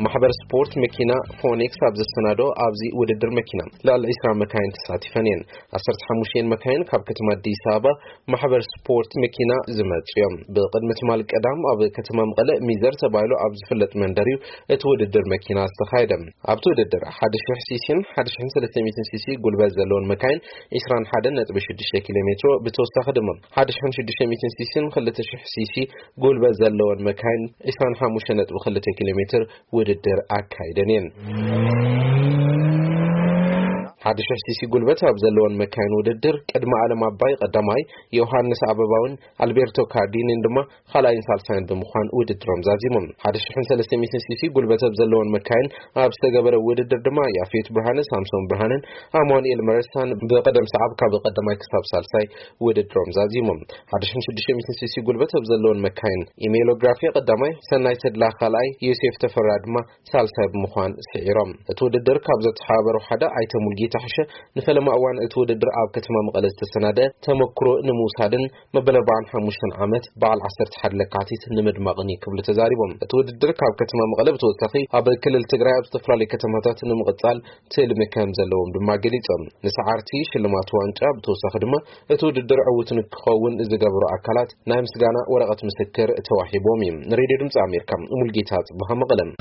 ማሕበር ስፖርት መኪና ፎኒክስ ኣብ ዘሰናዶ ኣብዚ ውድድር መኪና ልዕሊ ዕስራ መካይን ተሳቲፈን እየን። ዓሰርተ ሓሙሽተ መካይን ካብ ከተማ ኣዲስ ኣበባ ማሕበር ስፖርት መኪና ዝመጹ እዮም። ብቕድሚ ትማል ቀዳም ኣብ ከተማ መቐለ ሚዘር ተባሂሉ ኣብ ዝፍለጥ መንደር እዩ እቲ ውድድር መኪና ዝተኻየደ። ኣብቲ ውድድር ሓደ ሺሕ ሲሲን ሓደ ሺሕን ሰለስተ ሚእትን ሲሲ ጉልበት ዘለዎን መካይን ዕስራን ሓደን ነጥቢ ሽዱሽተ ኪሎ ሜትሮ፣ ብተወሳኺ ድማ ሓደ ሺሕን ሽዱሽተ ሚእትን ሲሲን ክልተ ሺሕ ሲሲ ጉልበት ዘለዎን መካይን ዕስራን ሓሙሽተ ነጥቢ ክልተ ኪሎ ሜትር ውድድር ኣካይደን እየን። ሓደ ሺሕ ሲሲ ጉልበት ኣብ ዘለዎን መካይን ውድድር ቅድሚ ኣለም ኣባይ ቀዳማይ፣ ዮሃንስ ኣበባውን ኣልቤርቶ ካርዲኒን ድማ ካልኣይን ሳልሳይን ብምዃን ውድድሮም ዛዚሞም። ሓደ ሺሕን ሰለስተ ሚእትን ሲሲ ጉልበት ኣብ ዘለዎን መካይን ኣብ ዝተገበረ ውድድር ድማ ያፌት ብርሃነ፣ ሳምሶን ብርሃነን ኣማኑኤል መረሳን ብቐደም ሰዓብ ካብ ቀዳማይ ክሳብ ሳልሳይ ውድድሮም ዛዚሞም። ሓደ ሺሕን ሽዱሽተ ሚእትን ሲሲ ጉልበት ኣብ ዘለዎን መካይን ኢሜሎግራፊ ቀዳማይ፣ ሰናይ ተድላ ካልኣይ፣ ዮሴፍ ተፈራ ድማ ሳልሳይ ብምዃን ስዒሮም። እቲ ውድድር ካብ ዘተሓባበሩ ሓደ ኣይተ ሙልጌታ ሕሸ ንፈለማ እዋን እቲ ውድድር ኣብ ከተማ መቐለ ዝተሰናደ ተመክሮ ንምውሳድን መበል ኣርባዓን ሓሙሽተን ዓመት በዓል ዓሰርተ ሓደ ለካቲት ንምድማቕን እዩ ክብሉ ተዛሪቦም። እቲ ውድድር ካብ ከተማ መቐለ ብተወሳኺ ኣብ ክልል ትግራይ ኣብ ዝተፈላለዩ ከተማታት ንምቕጻል ትልሚ ከም ዘለዎም ድማ ገሊጾም። ንሰዓርቲ ሽልማት ዋንጫ ብተወሳኺ ድማ እቲ ውድድር ዕዉት ንክኸውን ዝገበሩ ኣካላት ናይ ምስጋና ወረቐት ምስክር ተዋሂቦም እዩ። ንሬድዮ ድምፂ ኣሜሪካ ሙልጌታ ጽቡሃ መቐለም።